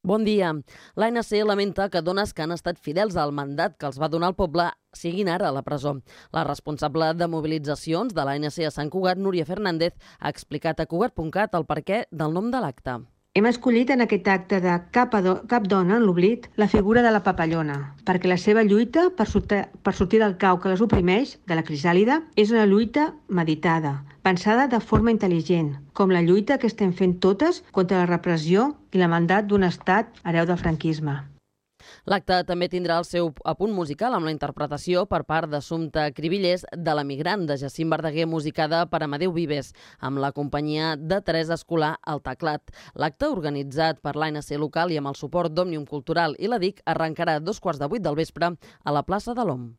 Bon dia. L'ANC lamenta que dones que han estat fidels al mandat que els va donar el poble siguin ara a la presó. La responsable de mobilitzacions de l'ANC a Sant Cugat, Núria Fernández, ha explicat a Cugat.cat el perquè del nom de l'acte. Hem escollit en aquest acte de Cap dona en l'oblit la figura de la papallona, perquè la seva lluita per sortir del cau que les oprimeix, de la crisàlida, és una lluita meditada, pensada de forma intel·ligent, com la lluita que estem fent totes contra la repressió i la mandat d'un estat hereu del franquisme. L'acte també tindrà el seu apunt musical amb la interpretació per part d'Assumpta Cribillers de l'Emigrant de Jacint Verdaguer, musicada per Amadeu Vives, amb la companyia de Teresa Escolà al teclat. L'acte, organitzat per l'ANC local i amb el suport d'Òmnium Cultural i la DIC, arrencarà a 7:15 del vespre a la plaça de l'OM.